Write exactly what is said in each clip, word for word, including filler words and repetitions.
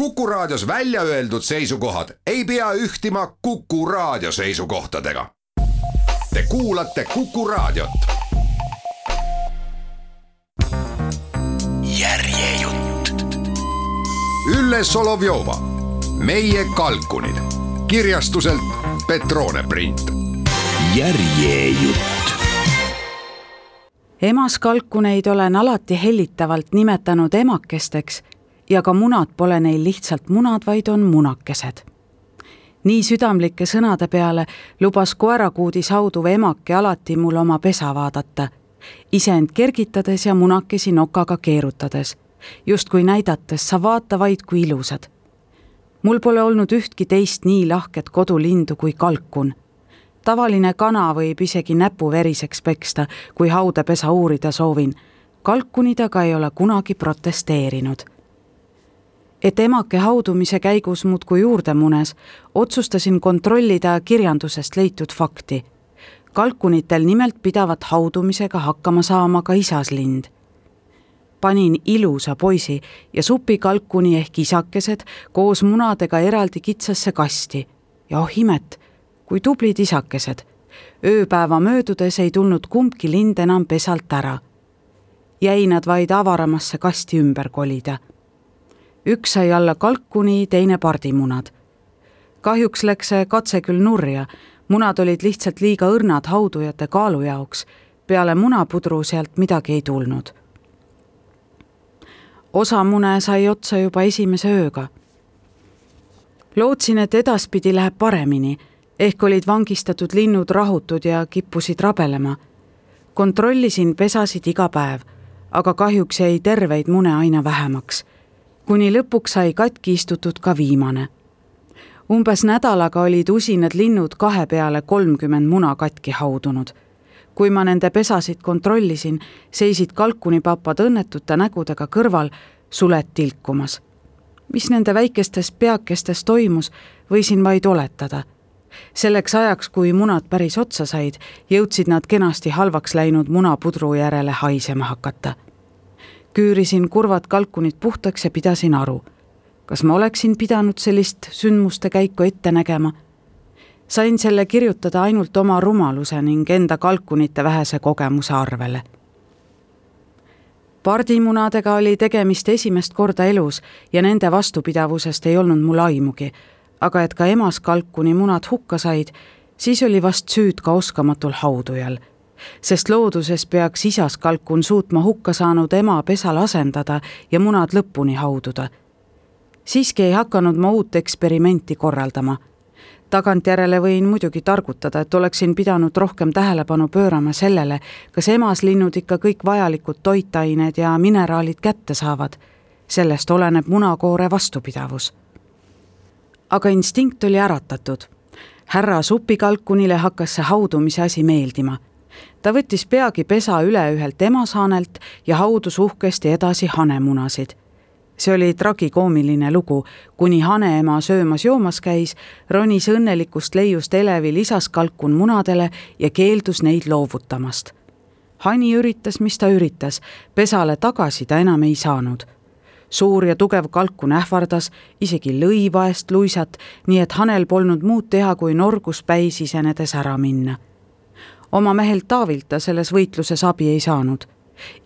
Kuku Raadios välja öeldud seisukohad ei pea ühtima Kuku Raadio seisukohtadega. Te kuulate Kuku Raadiot. Järjejutt. Ülle Solovjova, Meie kalkunid. Kirjastuselt Petrone Print. Järjejutt. Emaskalkuneid olen alati hellitavalt nimetanud emakesteks ja ka munad pole neil lihtsalt munad, vaid on munakesed. Nii südamlike sõnade peale lubas koerakuudis hauduv emake alati mul oma pesa vaadata, iseend kergitades ja munakesi nokaga keerutades, justkui näidates sa vaata vaid kui ilusad. Mul pole olnud ühtki teist nii lahket kodulindu kui kalkun. Tavaline kana võib isegi näpu veriseks peksta, kui haudepesa uurida soovin. Kalkunid aga ei ole kunagi protesteerinud. Et emake haudumise käigus muudkui juurde munes, otsustasin kontrollida kirjandusest leitud fakti. Kalkunitel nimelt pidavat haudumisega hakkama saama ka isaslind. Panin ilusa poisi ja supikalkuni ehk isakesed koos munadega eraldi kitsasse kasti. Ja oh imet, kui tublid isakesed. Ööpäeva möödudes ei tulnud kumbki lind enam pesalt ära. Jäi nad vaid avaramasse kasti ümber kolida. Üks sai alla kalkuni, teine pardimunad. Kahjuks läks see katse küll nurja. Munad olid lihtsalt liiga õrnad haudujate kaalu jaoks. Peale munapudru sealt midagi ei tulnud. Osa mune sai otsa juba esimese ööga. Lootsin, et edaspidi läheb paremini. Ehk olid vangistatud linnud rahutud ja kippusid rabelema. Kontrollisin pesasid iga päev, aga kahjuks jäi terveid mune aina vähemaks. Kuni lõpuks sai katki istutud ka viimane. Umbes nädalaga olid usinad linnud kahe peale kolmkümmend muna katki haudunud. Kui ma nende pesasid kontrollisin, seisid kalkunipapad õnnetute nägudega kõrval suled tilkumas. Mis nende väikestes peakestes toimus, võisin vaid oletada. Selleks ajaks, kui munad päris otsa said, jõudsid nad kenasti halvaks läinud munapudru järele haisema hakata. Küürisin kurvad kalkunid puhtaks ja pidasin aru. Kas ma oleksin pidanud sellist sündmuste käiku ette nägema? Sain selle kirjutada ainult oma rumaluse ning enda kalkunite vähese kogemuse arvele. Pardimunadega oli tegemist esimest korda elus ja nende vastupidavusest ei olnud mul aimugi, aga et ka emas kalkuni munad hukka said, siis oli vast süüd ka oskamatul haudujal. Sest looduses peaks isas kalkun suutma hukka saanud ema pesal asendada ja munad lõpuni haududa. Siiski ei hakanud ma uut eksperimenti korraldama. Tagantjärele võin muidugi targutada, et oleksin pidanud rohkem tähelepanu pöörama sellele, kas emaslinnud ikka kõik vajalikud toitained ja mineraalid kätte saavad. Sellest oleneb munakoore vastupidavus. Aga instinkt oli äratatud. Härra supikalkunile hakkas see haudumise asi meeldima. Ta võttis peagi pesa üle ühelt emasaanelt ja haudus uhkesti edasi hanemunasid. See oli tragikoomiline lugu, kuni haneema söömas joomas käis, ronis õnnelikust leiust elevil isas kalkun munadele ja keeldus neid loovutamast. Hani üritas, mis ta üritas, pesale tagasi ta enam ei saanud. Suur ja tugev kalkun ähvardas, isegi lõi vaest luisat, nii et hanel polnud muud teha, kui norgus päis isenedes ära minna. Oma mehelt Taavilt ta selles võitluses abi ei saanud.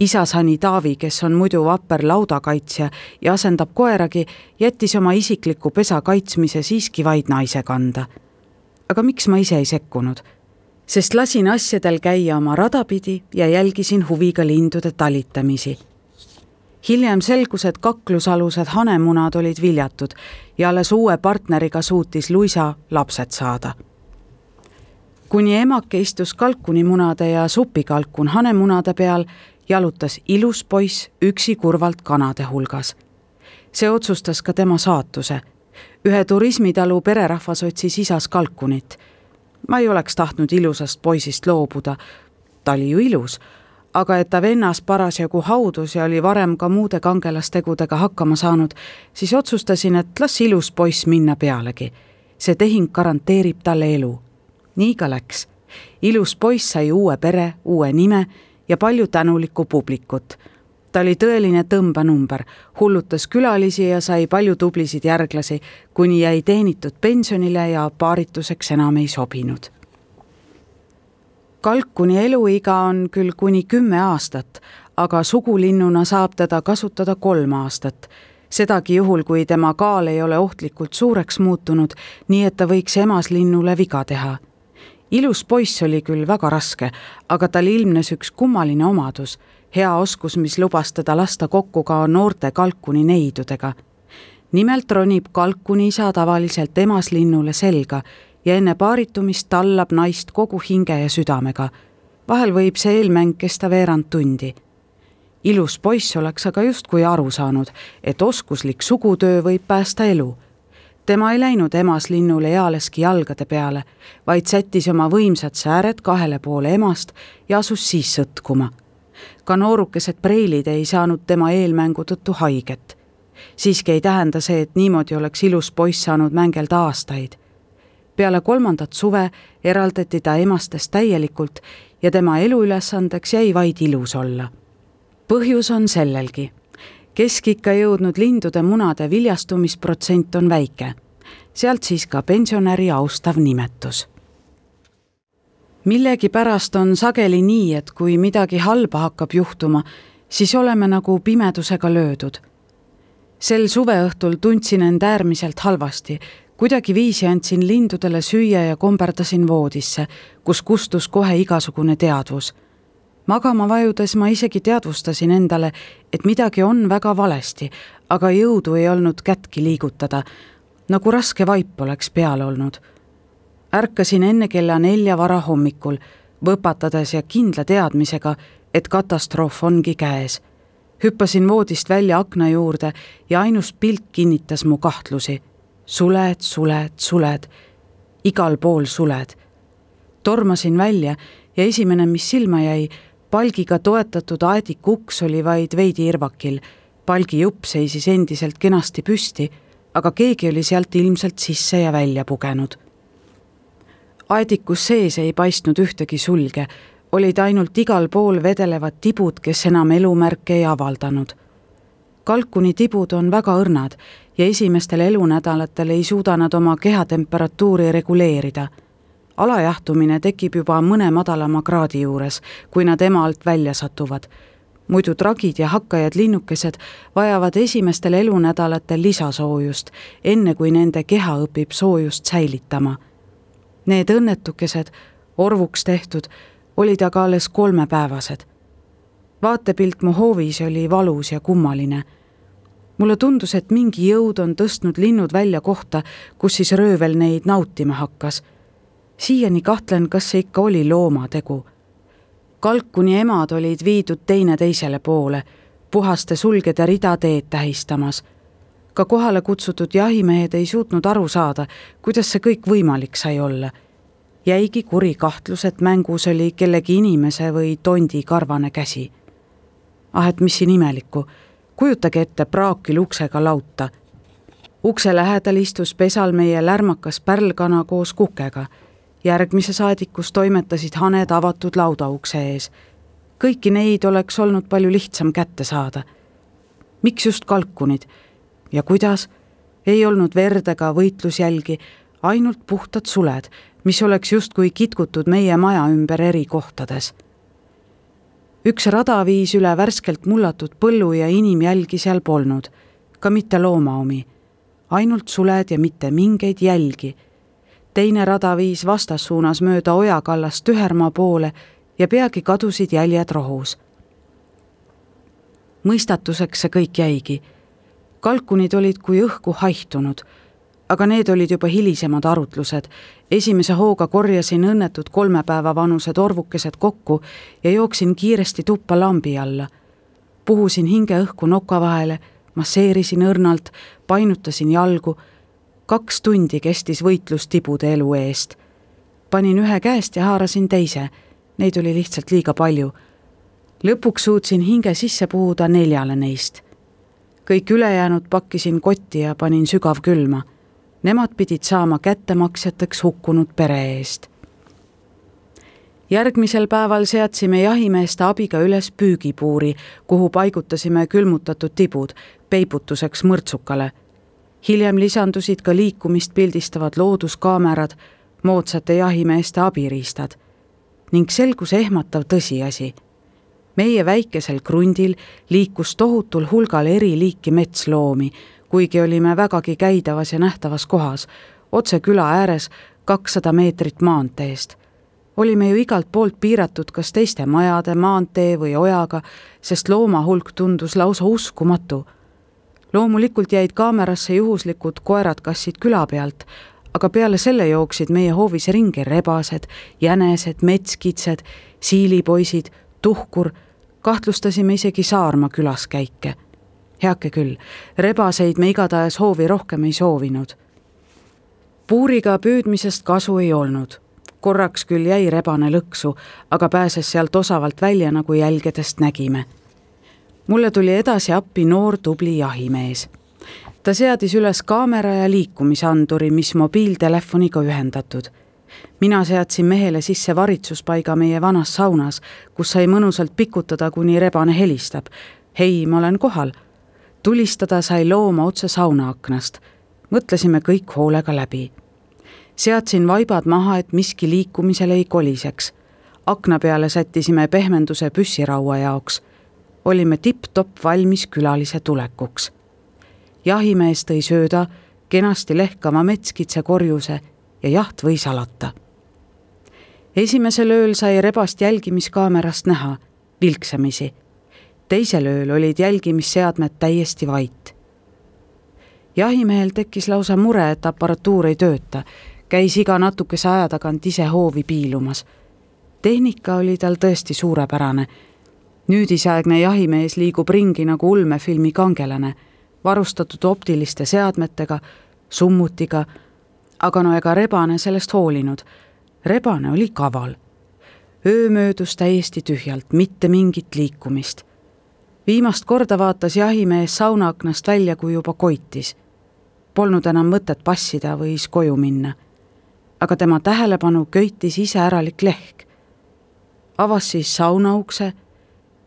Isashani Taavi, kes on muidu vapper laudakaitsja ja asendab koeragi, jättis oma isikliku pesa kaitsmise siiski vaid naise kanda. Aga miks ma ise ei sekkunud? Sest lasin asjadel käia oma radapidi ja jälgisin huviga lindude talitamisi. Hiljem selgus, et kaklusalused hanemunad olid viljatud ja alles uue partneriga suutis luisa lapsed saada. Kuni emake istus kalkunimunade ja supikalkun hanemunade peal, jalutas ilus poiss üksi kurvalt kanade hulgas. See otsustas ka tema saatuse. Ühe turismitalu pererahvas otsis isas kalkunit. Ma ei oleks tahtnud ilusast poisist loobuda. Ta oli ju ilus, aga et ta vennas parasjagu haudus ja oli varem ka muude kangelastegudega hakkama saanud, siis otsustasin, et las ilus poiss minna pealegi. See tehing garanteerib talle elu. Nii ka läks. Ilus poiss sai uue pere, uue nime ja palju tänulikku publikut. Ta oli tõeline tõmbanumber, hullutas külalisi ja sai palju tublisid järglasi, kuni jäi teenitud pensionile ja paarituseks enam ei sobinud. Kalkuni eluiga on küll kuni kümme aastat, aga sugulinnuna saab teda kasutada kolm aastat. Sedagi juhul, kui tema kaal ei ole ohtlikult suureks muutunud, nii et ta võiks emaslinnule viga teha. Ilus poiss oli küll väga raske, aga tal ilmnes üks kummaline omadus, hea oskus, mis lubas teda lasta kokku ka noorte kalkuni neidudega. Nimelt ronib kalkuni isa tavaliselt emaslinnule selga ja enne paaritumist tallab naist kogu hinge ja südamega. Vahel võib see eelmäng kesta veerand tundi. Ilus poiss oleks aga justkui aru saanud, et oskuslik sugutöö võib päästa elu. Tema ei läinud emaslinnule ealeski jalgade peale, vaid sättis oma võimsad sääred kahele poole emast ja asus siis sõtkuma. Ka noorukesed preilid ei saanud tema eelmängu tõttu haiget. Siiski ei tähenda see, et niimoodi oleks ilus poiss saanud mängelda aastaid. Peale kolmandat suve eraldati ta emastest täielikult ja tema eluülesandeks jäi vaid ilus olla. Põhjus on sellelgi. Keskikka jõudnud lindude munade viljastumisprotsent on väike. Sealt siis ka pensionäri austav nimetus. Millegi pärast on sageli nii, et kui midagi halba hakkab juhtuma, siis oleme nagu pimedusega löödud. Sel suveõhtul tundsin end äärmiselt halvasti. Kuidagi viisi andsin lindudele süüa ja komberdasin voodisse, kus kustus kohe igasugune teadvus. Magama vajudes ma isegi teadvustasin endale, et midagi on väga valesti, aga jõudu ei olnud kätki liigutada, nagu raske vaip oleks peal olnud. Ärkasin enne kella nelja vara hommikul, võpatades ja kindla teadmisega, et katastroof ongi käes. Hüppasin voodist välja akna juurde ja ainus pilt kinnitas mu kahtlusi. Suled, suled, suled. Igal pool suled. Tormasin välja ja esimene, mis silma jäi, palgiga toetatud aedik uks oli vaid veidi irvakil. Palgi jupp seisis endiselt kenasti püsti, aga keegi oli sealt ilmselt sisse ja välja pugenud. Aedikus sees ei paistnud ühtegi sulge, olid ainult igal pool vedelevad tibud, kes enam elumärke ei avaldanud. Kalkuni tibud on väga õrnad ja esimestel elunädalatel ei suuda nad oma kehatemperatuuri reguleerida. Alajahtumine tekib juba mõne madalama kraadi juures, kui nad ema alt välja satuvad. Muidu tragid ja hakkajad linnukesed vajavad esimestel elunädalatel lisasoojust, enne kui nende keha õpib soojust säilitama. Need õnnetukesed, orvuks tehtud, olid aga alles kolmepäevased. Vaatepilt mu hoovis oli valus ja kummaline. Mulle tundus, et mingi jõud on tõstnud linnud välja kohta, kus siis röövel neid nautima hakkas. Siiani kahtlen, kas see ikka oli loomategu. Kalkuni emad olid viidud teine teisele poole, puhaste sulgede rida teed tähistamas. Ka kohale kutsutud jahimehed ei suutnud aru saada, kuidas see kõik võimalik sai olla. Jäigi kuri kahtlus, et mängus oli kellegi inimese või tondi karvane käsi. Ah, et mis siin imelikku, kujutage ette praakil uksega lauta. Ukse lähedal istus pesal meie lärmakas pärlkana koos kukega. Järgmise saadikus toimetasid haned avatud laudaukse ees. Kõiki neid oleks olnud palju lihtsam kätte saada. Miks just kalkunid? Ja kuidas? Ei olnud verd ega võitlusjälgi, ainult puhtad suled, mis oleks justkui kitkutud meie maja ümber eri kohtades. Üks rada viis üle värskelt mullatud põllu ja inimjälgi seal polnud, ka mitte looma omi. Ainult suled ja mitte mingeid jälgi. Teine rada viis vastassuunas mööda ojakallast Tühermaa poole ja peagi kadusid jäljed rohus. Mõistatuseks see kõik jäigi. Kalkunid olid kui õhku haihtunud, aga need olid juba hilisemad arutlused. Esimese hooga korjasin õnnetud kolme päeva vanused orvukesed kokku ja jooksin kiiresti tuppa lambi alla. Puhusin hinge õhku noka vahele, masseerisin õrnalt, painutasin jalgu. Kaks tundi kestis võitlus tibude elu eest. Panin ühe käest ja haarasin teise. Neid oli lihtsalt liiga palju. Lõpuks suutsin hinge sisse puhuda neljale neist. Kõik ülejäänud pakkisin kotti ja panin sügav külma. Nemad pidid saama kättemaksjateks hukkunud pere eest. Järgmisel päeval seadsime jahimeeste abiga üles püügipuuri, kuhu paigutasime külmutatud tibud peibutuseks mõrtsukale. Hiljem lisandusid ka liikumist pildistavad looduskaamerad, moodsate jahimeeste abiriistad ning selgus ehmatav tõsiasi. Meie väikesel krundil liikus tohutul hulgal eri liiki metsloomi, kuigi olime vägagi käidavas ja nähtavas kohas, otse küla ääres kakssada meetrit maanteest. Olime ju igalt poolt piiratud kas teiste majade, maantee või ojaga, sest looma hulk tundus lausa uskumatu. Loomulikult jäid kaamerasse juhuslikud koerad-kassid küla pealt, aga peale selle jooksid meie hoovis ringi rebased, jänesed, metskitsed, siilipoisid, tuhkur, kahtlustasime isegi Saarma külaskäike. Heake küll, rebaseid me igatahes hoovi rohkem ei soovinud. Puuriga püüdmisest kasu ei olnud. Korraks küll jäi rebane lõksu, aga pääses sealt osavalt välja, nagu jälgedest nägime. Mulle tuli edasi appi noor tubli jahimees. Ta seadis üles kaamera ja liikumisanduri, mis mobiiltelefoniga ühendatud. Mina seadsin mehele sisse varitsuspaiga meie vanas saunas, kus sai mõnusalt pikutada, kuni rebane helistab. Hei, ma olen kohal. Tulistada sai looma otse sauna aknast. Mõtlesime kõik hoolega läbi. Seadsin vaibad maha, et miski liikumisel ei koliseks. Akna peale sättisime pehmenduse püssiraua jaoks. Olime tipp-topp valmis külalise tulekuks. Jahimees tõi sööda, kenasti lehkama metskitse korjuse ja jaht võis alata. Esimesel ööl sai rebast jälgimiskaamerast näha, vilksamisi. Teisel ööl olid jälgimisseadmed täiesti vait. Jahimehel tekkis lausa mure, et aparatuur ei tööta. Käis iga natukese aja tagant ise hoovi piilumas. Tehnika oli tal tõesti suurepärane. Nüüdisaegne jahimees liigub ringi nagu ulmefilmi kangelane, varustatud optiliste seadmetega, summutiga, aga no ega rebane sellest hoolinud. Rebane oli kaval. Öö möödus täiesti tühjalt, mitte mingit liikumist. Viimast korda vaatas jahimees saunaaknast välja, kui juba koitis. Polnud enam mõtet passida, võis koju minna. Aga tema tähelepanu köitis iseäralik lehk. Avas siis saunaukse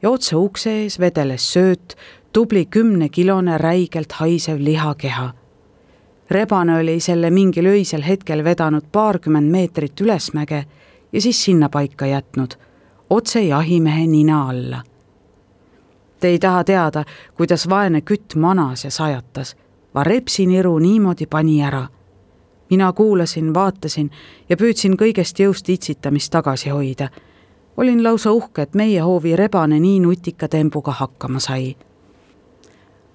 ja otse ukse ees vedeles sööt, tubli kümnekilone räigelt haisev lihakeha. Rebane oli selle mingil öisel hetkel vedanud paarkümmend meetrit ülesmäge ja siis sinna paika jätnud, otse jahimehe nina alla. Te ei taha teada, kuidas vaene kütt manas ja sajatas, va repsiniru niimoodi pani ära. Mina kuulasin, vaatasin ja püüdsin kõigest jõust itsitamist tagasi hoida. Olin lausa uhke, et meie hoovi rebane nii nutika tembuga hakkama sai.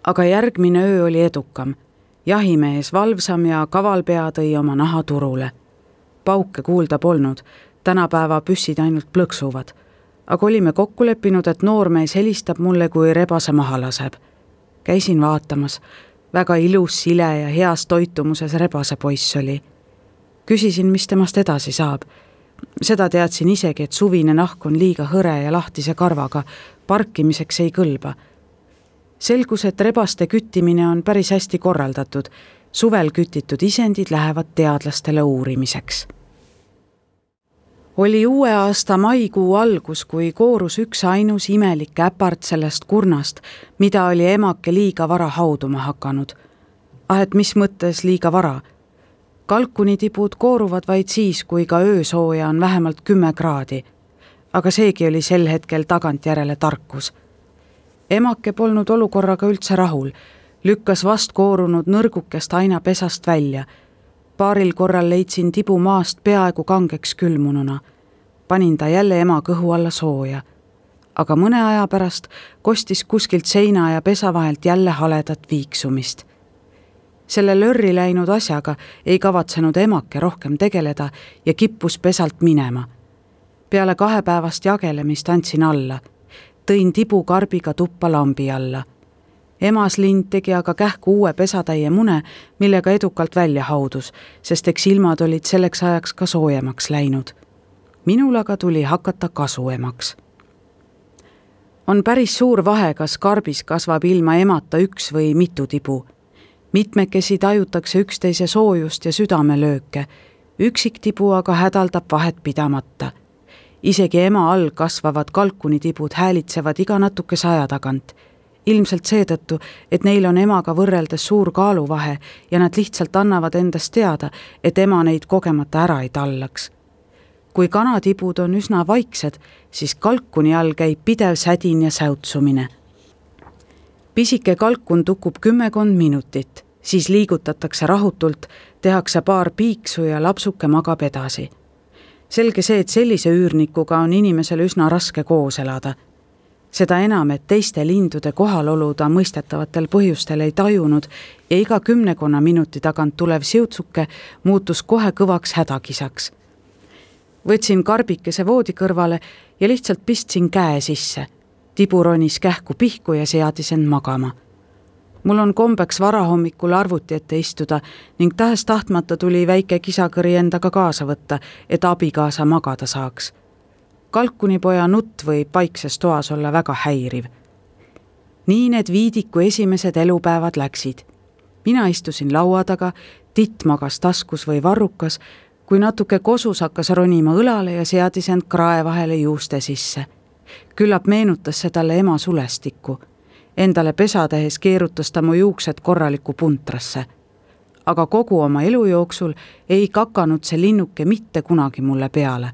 Aga järgmine öö oli edukam. Jahimees valvsam ja kavalpea tõi oma naha turule. Pauke kuulda polnud, tänapäeva püssid ainult plõksuvad. Aga olime kokku leppinud, et noormees helistab mulle, kui rebase maha laseb. Käisin vaatamas. Väga ilus, sile ja heas toitumuses rebase poiss oli. Küsisin, mis temast edasi saab. Seda teadsin isegi, et suvine nahk on liiga hõre ja lahtise karvaga, parkimiseks ei kõlba. Selgus, et rebaste küttimine on päris hästi korraldatud. Suvel kütitud isendid lähevad teadlastele uurimiseks. Oli uue aasta maikuu algus, kui koorus üks ainus imelik äpart sellest kurnast, mida oli emake liiga vara hauduma hakanud. Ah, et mis mõttes liiga vara? Kalkunitibud kooruvad vaid siis, kui ka öösooja on vähemalt kümme kraadi. Aga seegi oli sel hetkel tagantjärele tarkus. Emake polnud olukorraga üldse rahul, lükkas vast koorunud nõrgukest aina pesast välja. Paaril korral leidsin tibu maast peaaegu kangeks külmununa. Panin ta jälle ema kõhu alla sooja. Aga mõne aja pärast kostis kuskilt seina ja pesa vahelt jälle haledat viiksumist. Selle lörri läinud asjaga ei kavatsenud emake rohkem tegeleda ja kippus pesalt minema. Peale kahepäevast jagelemist andsin alla. Tõin tibu karbiga tuppa lambi alla. Emas lind tegi aga kähku uue pesatäie mune, millega edukalt välja haudus, sest eks ilmad olid selleks ajaks ka soojemaks läinud. Minul aga tuli hakata kasuemaks. On päris suur vahe, kas karbis kasvab ilma emata üks või mitu tibu. Mitmekesi tajutakse üksteise soojust ja südamelööke, üksik tibu aga hädaldab vahet pidamata. Isegi ema all kasvavad kalkunitibud häälitsevad iga natukese aja tagant. Ilmselt seetõttu, et neil on emaga võrreldes suur kaaluvahe ja nad lihtsalt annavad endast teada, et ema neid kogemata ära ei tallaks. Kui kanatibud on üsna vaiksed, siis kalkuni all käib pidev sädin ja säutsumine. Pisike kalkun tukub kümmekond minutit, siis liigutatakse rahutult, tehakse paar piiksu ja lapsuke magab edasi. Selge see, et sellise üürnikuga on inimesel üsna raske koos elada. Seda enam, et teiste lindude kohalolu ta mõistetavatel põhjustel ei tajunud ja iga kümnekonna minuti tagant tulev siutsuke muutus kohe kõvaks hädakisaks. Võtsin karbikese voodi kõrvale ja lihtsalt pistsin käe sisse. Tibu ronis kähku pihku ja seadis end magama. Mul on kombeks varahommikul arvuti ette istuda ning tahes tahtmata tuli väike kisakõri endaga kaasa võtta, et abikaasa magada saaks. Kalkunipoja nutt võib paikses toas olla väga häiriv. Nii need Viidiku esimesed elupäevad läksid. Mina istusin laua taga, Titt magas taskus või varrukas, kui natuke kosus hakkas ronima õlale ja seadis end krae vahele juuste sisse. Küllap meenutas see talle ema sulestikku. Endale pesa tehes keerutas ta mu juuksed korraliku puntrasse. Aga kogu oma elu jooksul ei kakanud see linnuke mitte kunagi mulle peale.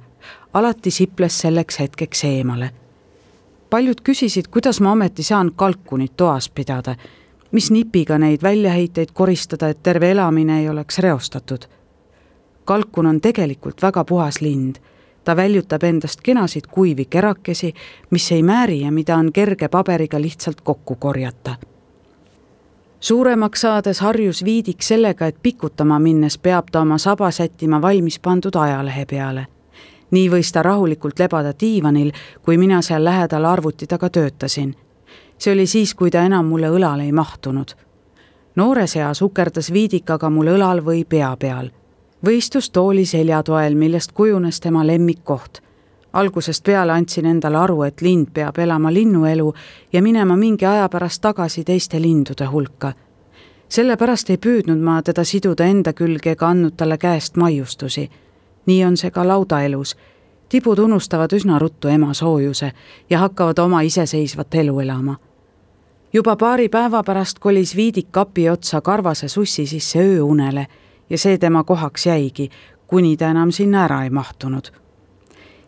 Alati siples selleks hetkeks eemale. Paljud küsisid, kuidas ma ometi saan kalkunit toas pidada, mis nipiga neid väljaheiteid koristada, et terve elamine ei oleks reostatud. Kalkun on tegelikult väga puhas lind. Ta väljutab endast kenasid kuivi kerakesi, mis ei määri ja mida on kerge paberiga lihtsalt kokku korjata. Suuremaks saades harjus Viidik sellega, et pikutama minnes peab ta oma saba sättima valmis pandud ajalehe peale. Nii võis ta rahulikult lebada diivanil, kui mina seal lähedal arvuti taga töötasin. See oli siis, kui ta enam mulle õlal ei mahtunud. Noore seas ukerdas Viidik aga mul õlal või pea peal. Võistus tooli seljatoel, millest kujunes tema lemmikkoht. Algusest peale andsin endale aru, et lind peab elama linnuelu ja minema mingi aja pärast tagasi teiste lindude hulka. Sellepärast ei püüdnud ma teda siduda enda külge ega andnud talle käest maiustusi. Nii on see ka laudaelus. Tibud unustavad üsna ruttu ema soojuse ja hakkavad oma iseseisvat elu elama. Juba paari päeva pärast kolis Viidik kapi otsa karvase sussi sisse ööunele ja see tema kohaks jäigi, kuni ta enam sinna ära ei mahtunud.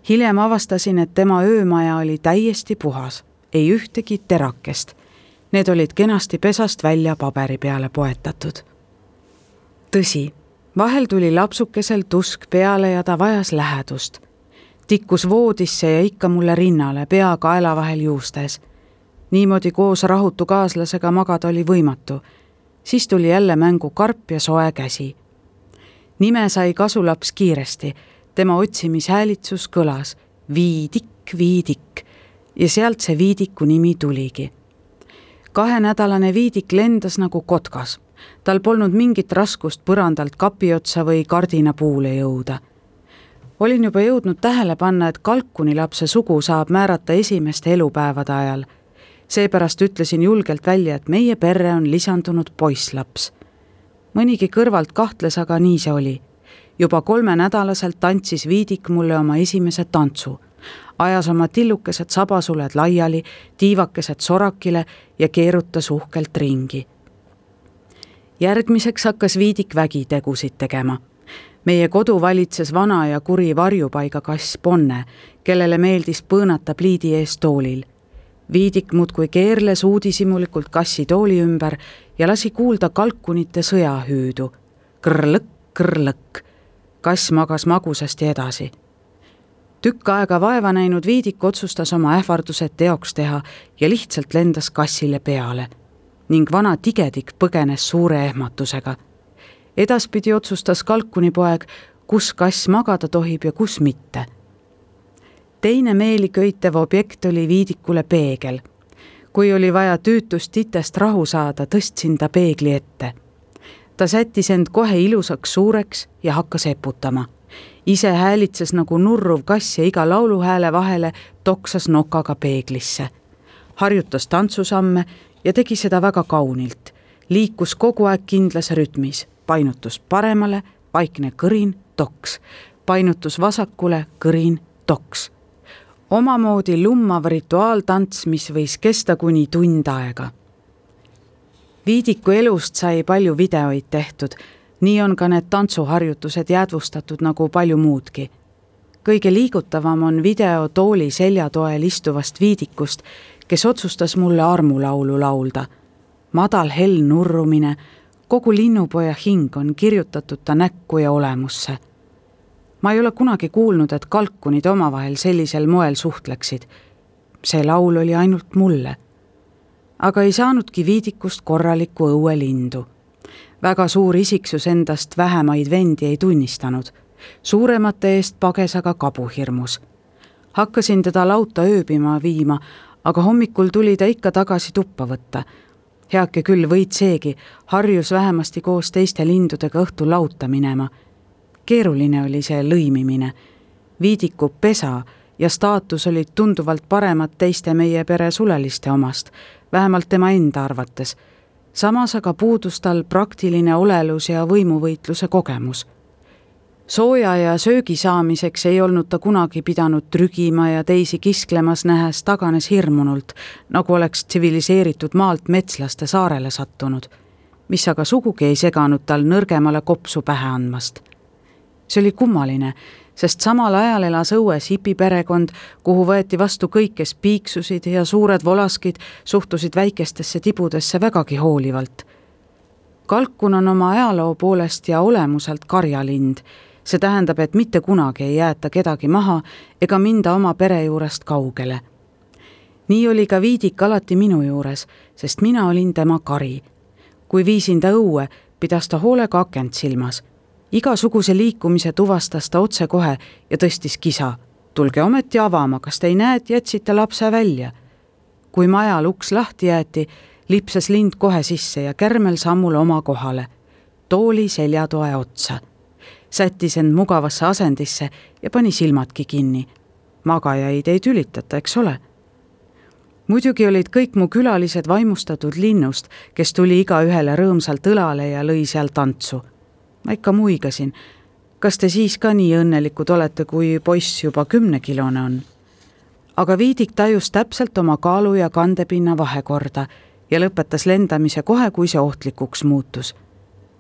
Hiljem avastasin, et tema öömaja oli täiesti puhas, ei ühtegi terakest. Need olid kenasti pesast välja paberi peale poetatud. Tõsi, vahel tuli lapsukesel tusk peale ja ta vajas lähedust. Tikkus voodisse ja ikka mulle rinnale, pea kaela vahel juustes. Niimoodi koos rahutu kaaslasega magada oli võimatu. Siis tuli jälle mängu karp ja soe käsi. Nime sai kasulaps kiiresti. Tema otsimishäälitsus kõlas Viidik, Viidik ja sealt see Viidiku nimi tuligi. Kahenädalane Viidik lendas nagu kotkas. Tal polnud mingit raskust põrandalt kapiotsa või kardina puule jõuda. Olin juba jõudnud tähele panna, et kalkunilapse sugu saab määrata esimeste elupäevade ajal. Seepärast ütlesin julgelt välja, et meie perre on lisandunud poisslaps. Mõnigi kõrvalt kahtles, aga nii see oli. Juba kolmenädalaselt tantsis Viidik mulle oma esimese tantsu. Ajas oma tillukesed sabasuled laiali, tiivakesed sorakile ja keerutas uhkelt ringi. Järgmiseks hakkas Viidik vägitegusid tegema. Meie kodu valitses vana ja kuri varjupaiga kass Ponne, kellele meeldis põõnata pliidi ees toolil. Viidik muudkui keerles uudisimulikult kassi tooli ümber ja lasi kuulda kalkunite sõjahüüdu. Krõlõk, krõlõk. Kass magas magusasti edasi. Tükk aega vaeva näinud Viidik otsustas oma ähvardused teoks teha ja lihtsalt lendas kassile peale. Ning vana tigedik põgenes suure ehmatusega. Edaspidi otsustas kalkunipoeg, kus kass magada tohib ja kus mitte. Teine meeliköitev objekt oli Viidikule peegel. Kui oli vaja tüütust titest rahu saada, tõstsin ta peegli ette. Ta sättis end kohe ilusaks suureks ja hakkas eputama. Ise häälitses nagu nurruv kass ja iga lauluhääle vahele toksas nokaga peeglisse. Harjutas tantsusamme ja tegi seda väga kaunilt. Liikus kogu aeg kindlas rütmis. Painutus paremale, vaikne kõrin, toks. Painutus vasakule, kõrin, toks. omamoodi lummav rituaaltants, mis võis kesta kuni tund aega. Viidiku elust sai palju videoid tehtud, nii on ka need tantsuharjutused jäädvustatud nagu palju muudki. Kõige liigutavam on video tooli seljatoel istuvast Viidikust, kes otsustas mulle armulaulu laulda. Madal hell nurrumine, kogu linnupoja hing on kirjutatud ta näkku ja olemusse. Ma ei ole kunagi kuulnud, et kalkunid omavahel sellisel moel suhtleksid. See laul oli ainult mulle. Aga ei saanudki Viidikust korralikku õuelindu. Väga suur isiksus endast vähemaid vendi ei tunnistanud. Suuremate eest pages aga kabuhirmus. Hakkasin teda lauta ööbima viima, aga hommikul tuli ta ikka tagasi tuppa võtta. Heake küll võid seegi, harjus vähemasti koos teiste lindudega õhtul lauta minema. Keeruline oli see lõimimine. Viidiku pesa ja staatus olid tunduvalt paremad teiste meie pere suleliste omast, vähemalt tema enda arvates. Samas aga puudus tal praktiline olelus ja võimuvõitluse kogemus. Sooja ja söögi saamiseks ei olnud ta kunagi pidanud trügima ja teisi kisklemas nähes taganes hirmunult, nagu oleks tsiviliseeritud maalt metslaste saarele sattunud, mis aga sugugi ei seganud tal nõrgemale kopsu pähe andmast. See oli kummaline, sest samal ajal elas õues hipiperekond, kuhu võeti vastu kõik, kes piiksusid ja suured volaskid suhtusid väikestesse tibudesse vägagi hoolivalt. Kalkun on oma ajaloo poolest ja olemuselt karjalind. See tähendab, et mitte kunagi ei jäeta kedagi maha ega minda oma pere juurest kaugele. Nii oli ka Viidik alati minu juures, sest mina olin tema kari. Kui viisin ta õue, pidas ta hoolega akent silmas. Igasuguse liikumise tuvastas ta otse kohe ja tõstis kisa. Tulge ometi avama, kas te ei näe, et jätsite lapse välja? Kui majal uks lahti jäeti, lipsas lind kohe sisse ja kärmel sammul oma kohale. Tooli seljatoe otsa. Sättis end mugavasse asendisse ja pani silmadki kinni. Magajaid ei tülitata, eks ole? Muidugi olid kõik mu külalised vaimustatud linnust, kes tuli iga ühele rõõmsalt õlale ja lõi seal tantsu. Ma ikka muigasin. Kas te siis ka nii õnnelikud olete, kui poiss juba kümnekilone on? Aga Viidik tajus täpselt oma kaalu ja kandepinna vahekorda ja lõpetas lendamise kohe, kui see ohtlikuks muutus.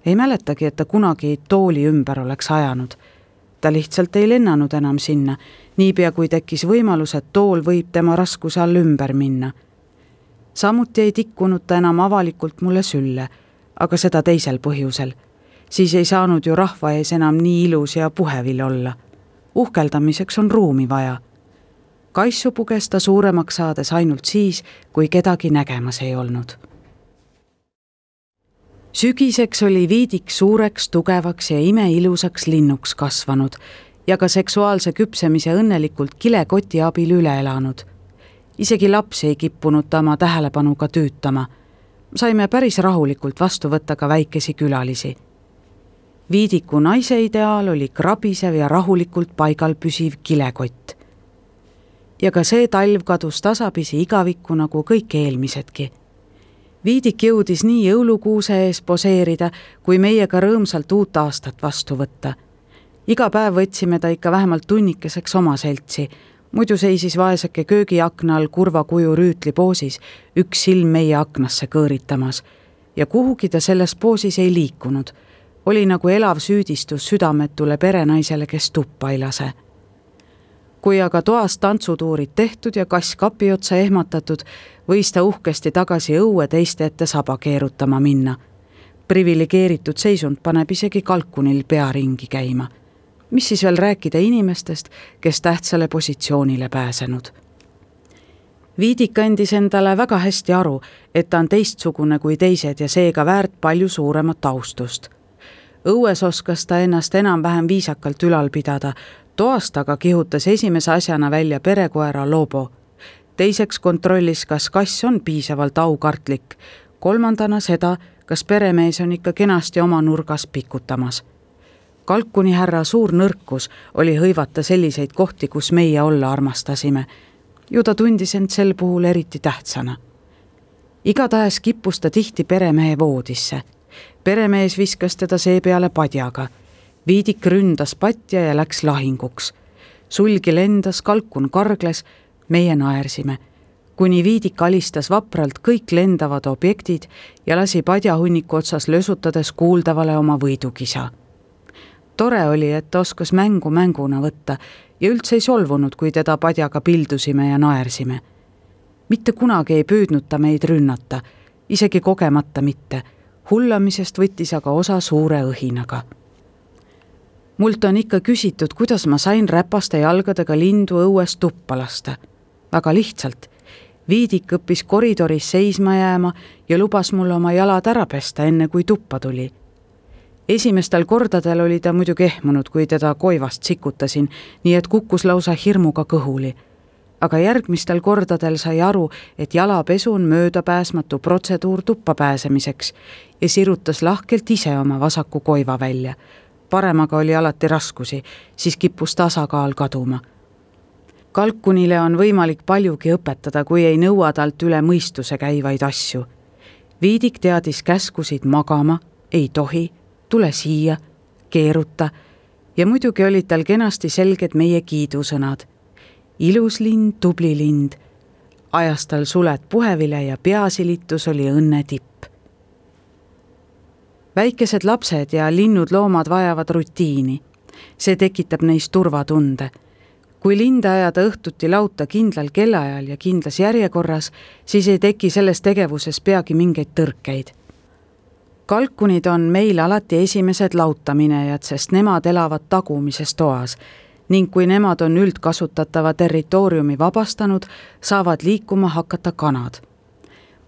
Ei mäletagi, et ta kunagi tooli ümber oleks ajanud. Ta lihtsalt ei lennanud enam sinna, niipea kui tekkis võimalus, et tool võib tema raskuse all ümber minna. Samuti ei tikkunud ta enam avalikult mulle sülle, aga seda teisel põhjusel. Siis ei saanud ju rahva ees enam nii ilus ja puhevil olla. Uhkeldamiseks on ruumi vaja. Kaissu puges ta suuremaks saades ainult siis, kui kedagi nägemas ei olnud. Sügiseks oli Viidik suureks, tugevaks ja imeilusaks linnuks kasvanud ja ka seksuaalse küpsemise õnnelikult kilekoti abil üle elanud. Isegi lapsi ei kippunud ta oma tähelepanuga tüütama. Saime päris rahulikult vastu võtta ka väikesi külalisi. Viidiku naise ideaal oli krabisev ja rahulikult paigal püsiv kilekott. Ja ka see talv kadus tasapisi igavikku nagu kõik eelmisedki. Viidik jõudis nii jõulukuuse ees poseerida, kui meiega rõõmsalt uut aastat vastu võtta. Iga päev võtsime ta ikka vähemalt tunnikeseks oma seltsi, muidu seisis vaeseke köögiakna all kurva kuju rüütli poosis, üks silm meie aknasse kõõritamas. Ja kuhugi ta selles poosis ei liikunud. Oli nagu elav süüdistus südametule perenaisele, kes tuppa ei lase. Kui aga toas tantsutuurid tehtud ja kass kapi otsa ehmatatud, võis ta uhkesti tagasi õue teiste ette saba keerutama minna. Privilegeeritud seisund paneb isegi kalkunil pea ringi käima. Mis siis veel rääkida inimestest, kes tähtsale positsioonile pääsenud? Viidik andis endale väga hästi aru, et ta on teistsugune kui teised ja seega väärt palju suuremat austust. Õues oskas ta ennast enam-vähem viisakalt ülal pidada, toast aga kihutas esimese asjana välja perekoera Lobo. Teiseks kontrollis, kas kass on piisavalt aukartlik. Kolmandana seda, kas peremees on ikka kenasti oma nurgas pikutamas. Kalkuni härra suur nõrkus oli hõivata selliseid kohti, kus meie olla armastasime. Ju ta tundis end sel puhul eriti tähtsana. Igatahes kippus ta tihti peremehe voodisse. Peremees viskas teda seepeale padjaga. Viidik ründas patja ja läks lahinguks. sulgi lendas, kalkun kargles, meie naersime, kuni Viidik alistas vapralt kõik lendavad objektid ja lasi padjahunniku otsas lösutades kuuldavale oma võidukisa. Tore oli, et ta oskas mängu mänguna võtta ja üldse ei solvunud, kui teda padjaga pildusime ja naersime. Mitte kunagi ei püüdnud ta meid rünnata, isegi kogemata mitte. Hullamisest võttis aga osa suure õhinaga. Mult on ikka küsitud, kuidas ma sain räpaste jalgadega lindu õues tuppa lasta. Väga lihtsalt. Viidik õppis koridoris seisma jääma ja lubas mulle oma jalad ära pesta, enne kui tuppa tuli. Esimestel kordadel oli ta muidugi ehmunud, kui teda koivast sikutasin, nii et kukkus lausa hirmuga kõhuli. Aga järgmistel kordadel sai aru, et jalapesu on möödapääsmatu protseduur tuppa pääsemiseks ja sirutas lahkelt ise oma vasaku koiva välja. Paremaga oli alati raskusi, siis kippus tasakaal kaduma. Kalkunile on võimalik paljugi õpetada, kui ei nõua talt üle mõistuse käivaid asju. Viidik teadis käskusid magama, ei tohi, tule siia, keeruta ja muidugi olid tal kenasti selged meie kiidusõnad. Ilus lind, tubli lind. Ajas tal suled puhevile ja peasilitus oli õnne tipp. Väikesed lapsed ja linnud loomad vajavad rutiini. See tekitab neis turvatunde. Kui linde ajada õhtuti lauta kindlal kellaajal ja kindlas järjekorras, siis ei teki selles tegevuses peagi mingeid tõrkeid. Kalkunid on meil alati esimesed lautaminejad, sest nemad elavad tagumises toas ning kui nemad on üldkasutatava territooriumi vabastanud, saavad liikuma hakata kanad.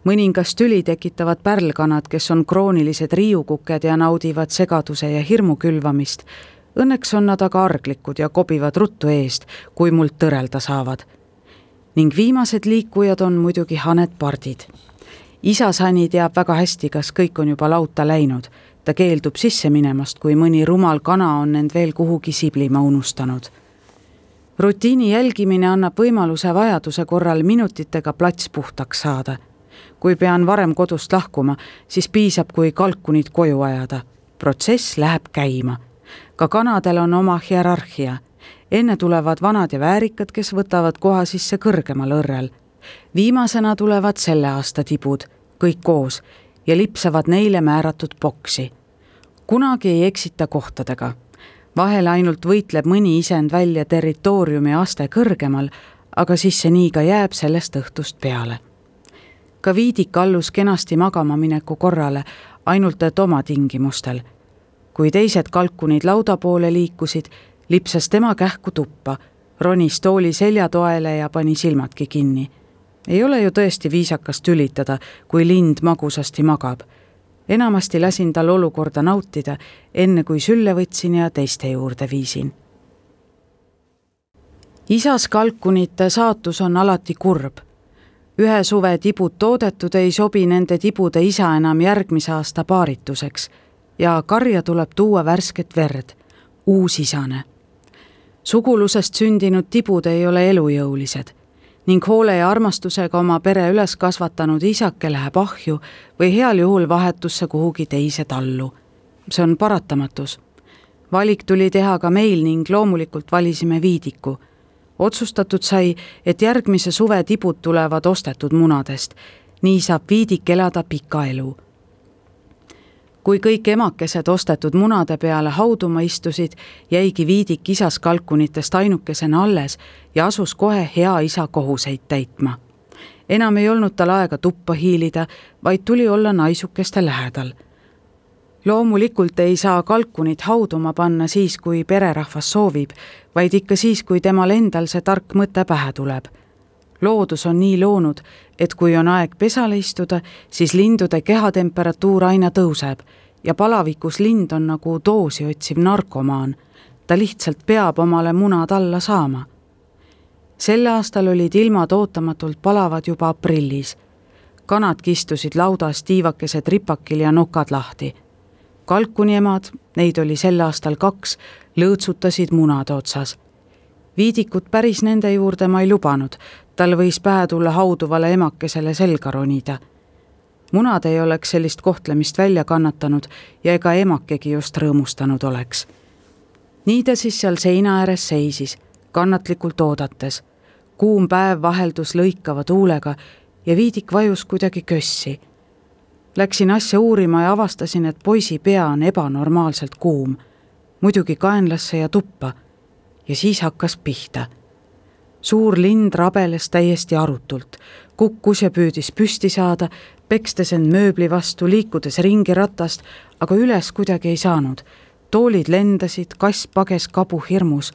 Mõningast tüli tekitavad pärlkanad, kes on kroonilised riiukuked ja naudivad segaduse ja hirmu külvamist. Õnneks on nad aga arglikud ja kobivad ruttu eest, kui mult tõrelda saavad. Ning viimased liikujad on muidugi haned pardid. Isa Sani teab väga hästi, kas kõik on juba lauta läinud. Ta keeldub sisse minemast, kui mõni rumal kana on end veel kuhugi siblima unustanud. Rutiini jälgimine annab võimaluse vajaduse korral minutitega plats puhtaks saada. Kui pean varem kodust lahkuma, siis piisab, kui kalkunid koju ajada. Protsess läheb käima. Ka kanadel on oma hierarhia. Enne tulevad vanad ja väärikad, kes võtavad koha sisse kõrgemal õrrel. Viimasena tulevad selle aasta tibud, kõik koos, ja lipsavad neile määratud boksi. Kunagi ei eksita kohtadega. Vahel ainult võitleb mõni isend välja territooriumi aste kõrgemal, aga siis see nii ka jääb sellest õhtust peale. Ka Viidik allus kenasti magama mineku korrale, ainult et oma tingimustel. Kui teised kalkunid lauda poole liikusid, lipsas tema kähku tuppa, ronis tooli seljatoele ja pani silmadki kinni. Ei ole ju tõesti viisakas tülitada, kui lind magusasti magab. Enamasti lasin tal olukorda nautida, enne kui sülle võtsin ja teiste juurde viisin. Isas kalkunite saatus on alati kurb. Ühe suve tibud toodetud ei sobi nende tibude isa enam järgmise aasta paarituseks ja karja tuleb tuua värsket verd, uus isane. Sugulusest sündinud tibud ei ole elujõulised ning hoole ja armastusega oma pere üles kasvatanud isake läheb ahju või heal juhul vahetusse kuhugi teise tallu. See on paratamatus. Valik tuli teha ka meil ning loomulikult valisime Viidiku. Otsustatud sai, et järgmise suve tibud tulevad ostetud munadest. Nii saab Viidik elada pika elu. Kui kõik emakesed ostetud munade peale hauduma istusid, jäigi Viidik isas kalkunitest ainukesena alles ja asus kohe hea isa kohuseid täitma. Enam ei olnud tal aega tuppa hiilida, vaid tuli olla naisukeste lähedal. Loomulikult ei saa kalkunit hauduma panna siis, kui pererahvas soovib, vaid ikka siis, kui temal endal see tark mõte pähe tuleb. Loodus on nii loonud, et kui on aeg pesale istuda, siis lindude kehatemperatuur aina tõuseb ja palavikus lind on nagu doosi otsiv narkomaan. Ta lihtsalt peab omale munad alla saama. Sel aastal olid ilmad ootamatult palavad juba aprillis. Kanad kistusid laudas tiivakesed ripakil ja nokad lahti. Kalkuniemad, neid oli sel aastal kaks, lõõtsutasid munade otsas. Viidikut päris nende juurde ma ei lubanud, tal võis pähe tulla hauduvale emakesele selga ronida. Munad ei oleks sellist kohtlemist välja kannatanud ja ega emakegi just rõõmustanud oleks. Nii ta siis seal seina ääres seisis, kannatlikult oodates. Kuum päev vaheldus lõikava tuulega ja Viidik vajus kuidagi kössi. Läksin asja uurima ja avastasin, et poisi pea on ebanormaalselt kuum. Muidugi kaenlasse ja tuppa. Ja siis hakkas pihta. Suur lind rabeles täiesti arutult. Kukkus ja püüdis püsti saada, pekstes end mööbli vastu, liikudes ringi ratast, aga üles kuidagi ei saanud. Toolid lendasid, kass pages kabu hirmus.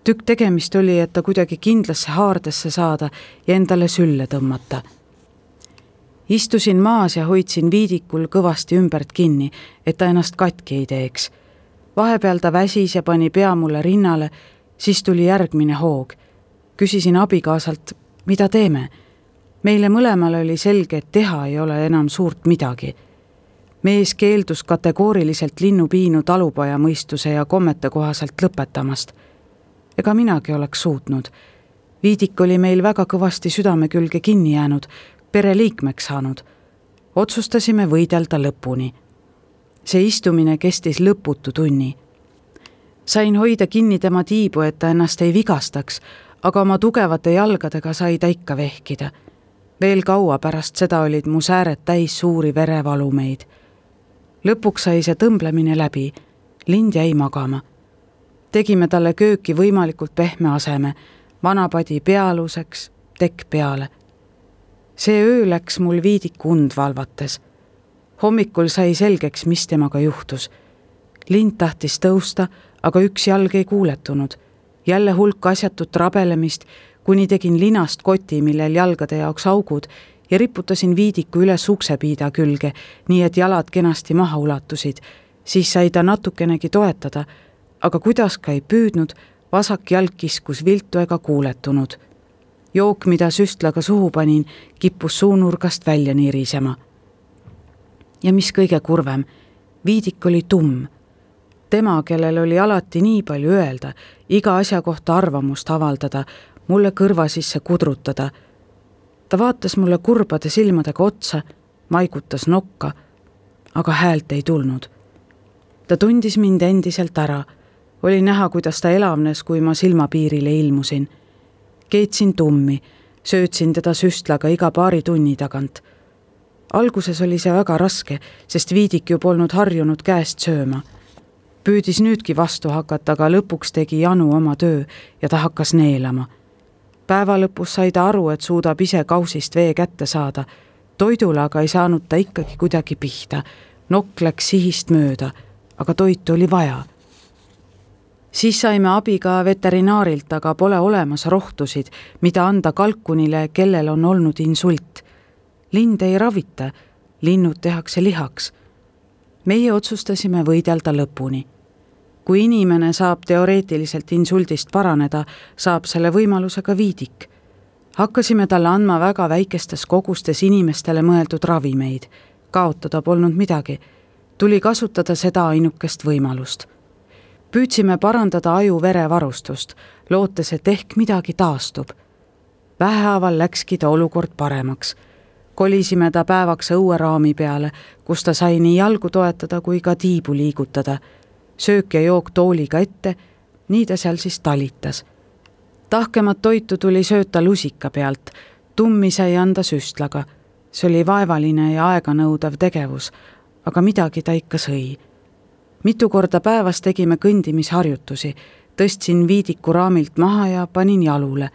Tükk tegemist oli, et ta kuidagi kindlasse haardesse saada ja endale sülle tõmmata. Istusin maas ja hoidsin Viidikul kõvasti ümbert kinni, et ta ennast katki ei teeks. Vahepeal ta väsis ja pani pea mulle rinnale, siis tuli järgmine hoog. Küsisin abikaasalt, mida teeme? Meile mõlemal oli selge, et teha ei ole enam suurt midagi. Mees keeldus kategooriliselt linnupiinu talupoja mõistuse ja kommete kohaselt lõpetamast. Ega minagi oleks suutnud. Viidik oli meil väga kõvasti südame külge kinni jäänud, pereliikmeks saanud. Otsustasime võidelda lõpuni. See istumine kestis lõputu tunni. Sain hoida kinni tema tiibu, et ta ennast ei vigastaks, aga oma tugevate jalgadega sai ta ikka vehkida. Veel kaua pärast seda olid mu sääred täis suuri verevalumeid. Lõpuks sai see tõmblemine läbi. Lind jäi magama. Tegime talle kööki võimalikult pehme aseme, vanapadi pealuseks, tekk peale. See öö läks mul Viidiku und valvates. Hommikul sai selgeks, mis temaga juhtus. Lind tahtis tõusta, aga üks jalg ei kuuletunud. Jälle hulk asjatut rabelemist, kuni tegin linast koti, millel jalgade jaoks augud ja riputasin Viidiku üles uksepiida külge, nii et jalad kenasti maha ulatusid. Siis sai ta natukenegi toetada, aga kuidas ka ei püüdnud, vasak jalg kiskus viltu ega kuuletunud. Jook, mida süstlaga suhu panin, kippus suunurgast välja nirisema. Ja mis kõige kurvem, Viidik oli tumm. Tema, kellel oli alati nii palju öelda, iga asja kohta arvamust avaldada, mulle kõrva sisse kudrutada. Ta vaatas mulle kurbade silmadega otsa, maigutas nokka, aga häält ei tulnud. Ta tundis mind endiselt ära. Oli näha, kuidas ta elavnes, kui ma silmapiirile ilmusin. Keetsin tummi, söötsin teda süstlaga iga paari tunni tagant. Alguses oli see väga raske, sest Viidik ju polnud harjunud käest sööma. Püüdis nüüdki vastu hakata, aga lõpuks tegi Janu oma töö ja ta hakkas neelama. Päeva lõpus sai ta aru, et suudab ise kausist vee kätte saada. Toidule aga ei saanud ta ikkagi kuidagi pihta. Nokk läks sihist mööda, aga toitu oli vaja. Siis saime abi ka veterinaarilt, aga pole olemas rohtusid, mida anda kalkunile, kellel on olnud insult. Lind ei ravita, linnud tehakse lihaks. Meie otsustasime võidelda lõpuni. Kui inimene saab teoreetiliselt insuldist paraneda, saab selle võimalusega Viidik. Hakkasime talle andma väga väikestes kogustes inimestele mõeldud ravimeid. Kaotada polnud midagi. Tuli kasutada seda ainukest võimalust. Püüdsime parandada aju verevarustust, lootes, et ehk midagi taastub. Vähehaaval läkski ta olukord paremaks. Kolisime ta päevaks õueraami peale, kus ta sai nii jalgu toetada kui ka tiibu liigutada. Söök ja jook tooliga ette, nii ta seal siis talitas. Tahkemat toitu tuli sööta lusika pealt, tummi sai anda süstlaga. See oli vaevaline ja aeganõudav tegevus, aga midagi ta ikka sõi. Mitu korda päevas tegime kõndimisharjutusi, tõstsin Viidiku raamilt maha ja panin jalule.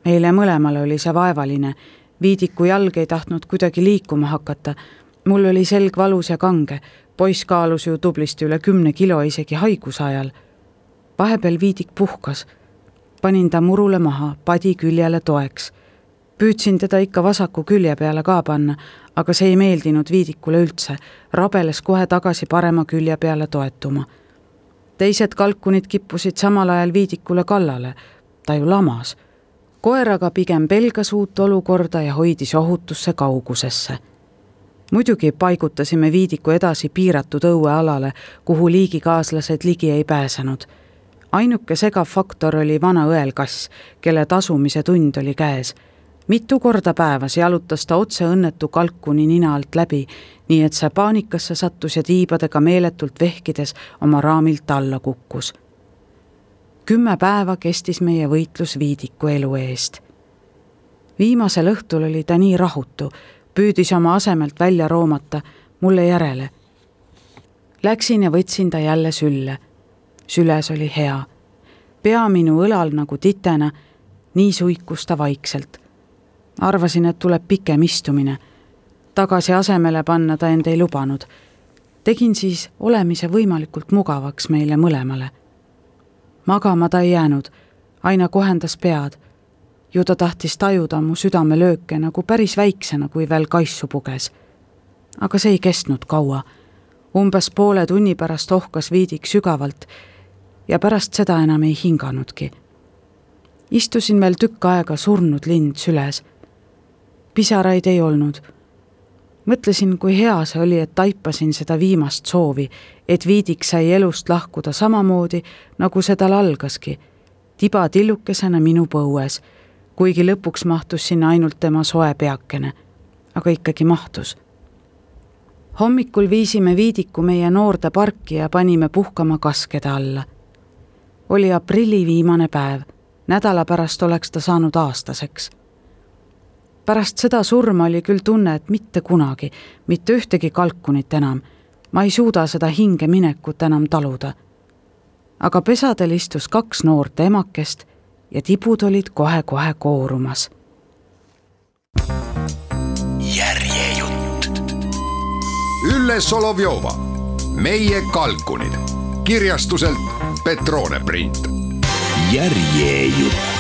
Meile mõlemal oli see vaevaline. Viidiku jalg ei tahtnud kuidagi liikuma hakata. Mul oli selg valus ja kange. Poiss kaalus ju tublisti üle kümne kilo isegi haiguse ajal. Vahepeal Viidik puhkas. Panin ta murule maha, padi küljele toeks. Püüdsin teda ikka vasaku külje peale ka panna, aga see ei meeldinud Viidikule üldse. Rabeles kohe tagasi parema külje peale toetuma. Teised kalkunid kippusid samal ajal Viidikule kallale. Ta ju lamas. Koeraga pigem pelgas uut olukorda ja hoidis ohutusse kaugusesse. Muidugi paigutasime Viidiku edasi piiratud õuealale, kuhu liigikaaslased ligi ei pääsenud. Ainuke segav faktor oli vana õelkass, kelle tasumise tund oli käes. Mitu korda päevas jalutas ta otse õnnetu kalkuni nina alt läbi, nii et see paanikasse sattus ja tiibadega meeletult vehkides oma raamilt alla kukkus. kümme päeva kestis meie võitlus Viidiku elu eest. Viimasel õhtul oli ta nii rahutu, püüdis oma asemelt välja roomata mulle järele. Läksin ja võtsin ta jälle sülle. Süles oli hea. Pea minu õlal nagu titena, nii suikus ta vaikselt. Arvasin, et tuleb pikem istumine. Tagasi asemele panna ta end ei lubanud. Tegin siis olemise võimalikult mugavaks meile mõlemale. Magama ta ei jäänud, aina kohendas pead. Ju ta tahtis tajuda mu südamelööke nagu päris väiksena, kui veel kaissu puges. Aga see ei kestnud kaua. Umbes poole tunni pärast ohkas Viidik sügavalt ja pärast seda enam ei hinganudki. Istusin veel tükk aega surnud lind süles. Pisaraid ei olnud. Mõtlesin, kui hea see oli, et taipasin seda viimast soovi, et Viidik sai elust lahkuda samamoodi, nagu see tal algaski, tiba tillukesena minu põues, kuigi lõpuks mahtus sinna ainult tema soe peakene, aga ikkagi mahtus. Hommikul viisime Viidiku meie noorde parki ja panime puhkama kaskede alla. Oli aprilli viimane päev, nädala pärast oleks ta saanud aastaseks. Pärast seda surma oli küll tunne, et mitte kunagi, mitte ühtegi kalkunit enam. Ma ei suuda seda hinge minekut enam taluda. Aga pesadel istus kaks noort emakest ja tibud olid kohe-kohe koorumas. Järjejutt. Ülle Solovjova, Meie kalkunid. Kirjastuselt Petrone print. Järjejutt.